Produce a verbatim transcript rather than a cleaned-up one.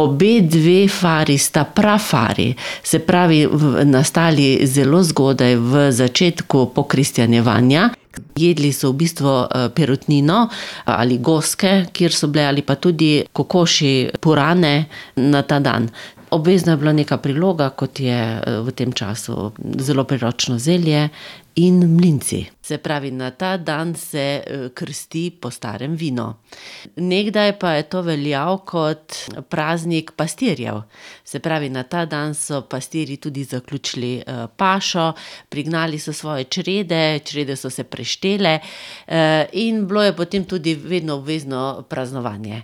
Obe dve fari sta prafari, se pravi nastali zelo zgodaj v začetku pokristjanjevanja. Jedli so v bistvu perutnino ali goske, kjer so bile, ali pa tudi kokošji purane na ta dan. Obvezno je bila neka priloga, kot je v tem času zelo priročno zelje in mlinci. Se pravi, na ta dan se krsti po starem vino. Nekdaj pa je to veljal kot praznik pastirjev. Se pravi, na ta dan so pastirji tudi zaključili pašo, prignali so svoje črede, črede so se preštele, in bilo je potem tudi vedno obvezno praznovanje.